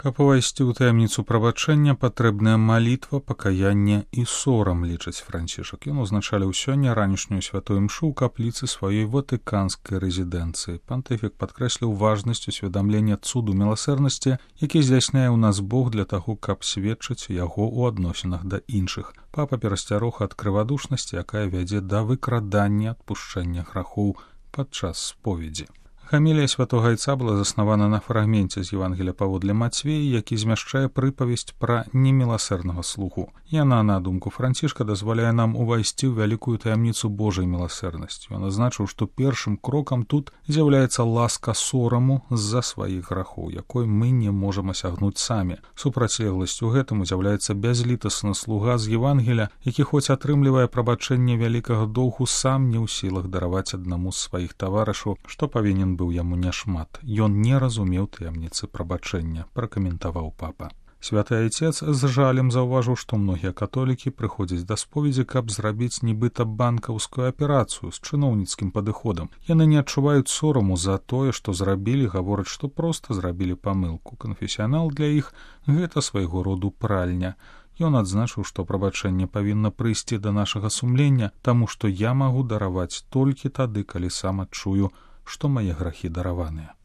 Каб увайсці ў таямніцу прабачэння, патрэбная малітва, пакаянне і сорам, лічыць Францішак. Ён узначаліў сёння ранішнюю святую імшу ў капліцы сваёй ватыканскай рэзідэнцыі. Пантыфік падкрэсліў важнасць усведамлення цуду міласэрнасці, які здзяйсняе ў нас Бог для таго, каб сведчыць яго ў адносінах да іншых. Папа перасцярог ад крывадушнасці, якая вядзе да выкрадання адпушчэння грахоў падчас споведзі. Хамілія святога Айца была заснавана на фрагменце з Евангелія паводле Мацвея, які змяшчае прыпавесць пра неміласэрнага слугу. Яна, на думку Францішка, дазваляе нам увайсці ў вялікую таямніцу Божай міласэрнасці. Ён азначыў, што першым крокам тут з'яўляецца ласка сораму з-за сваіх грахоў, якой мы не можам асягнуць самі. Супрацьлегласцю гэтаму з'яўляецца бязлітасны слуга з Евангелія, які хоць атрымлівае прабачэнне вялікага доўгу, сам не ў сілах дараваць аднаму з сваіх таварышаў, што павінен быў яму няшмат. Ён не разумеў таямніцы прабачэння, пракаментаваў папа. Святы Айцец з жалем заўважыў, што многія католікі прыходзяць да споведзі, каб зрабіць нібыта банкаўскую аперацыю з чыноўніцкім падыходам. Яны не адчуваюць сораму за тое, што зрабілі, гавораць, што проста зрабілі памылку. Канфесіянал для іх – гэта свайго роду пральня. Ён адзначыў, што прабачэнне павінна прыйсці да нашага сумлення, таму што я магу дараваць толькі тады, калі сам адчую, што мае грахі дараваныя.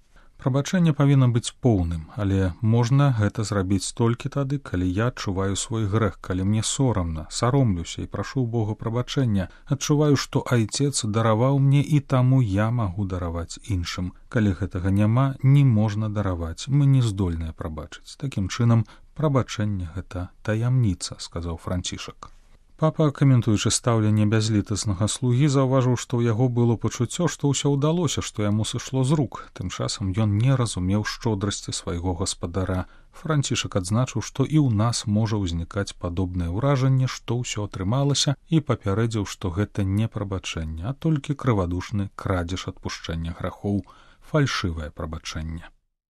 Прабачэнне павінна быць поўным, але можна гэта зрабіць толькі тады, калі я адчуваю свой грэх, калі мне сорамна, саромлюся і прашу ў Бога прабачэння, адчуваю, што Айцец дараваў мне і таму я магу дараваць іншым. Калі гэтага няма, не можна дараваць, мы не здольныя прабачыць. Такім чынам, прабачэнне – гэта таямніца, сказаў Францішак. Папа, каментуючы стаўленне бязлітаснага слугі, заўважыў, што ў яго было пачуццё, што ўсё ўдалося, што яму сышло з рук. Тым часам ён не разумеў шчодрасці свайго гаспадара. Францішак адзначыў, што і ў нас можа ўзнікаць падобнае ўражанне, што ўсё атрымалася, і папярэдзіў, што гэта не прабачэнне, а толькі крывадушны крадзеж адпушчэння грахоў, фальшывае прабачэнне.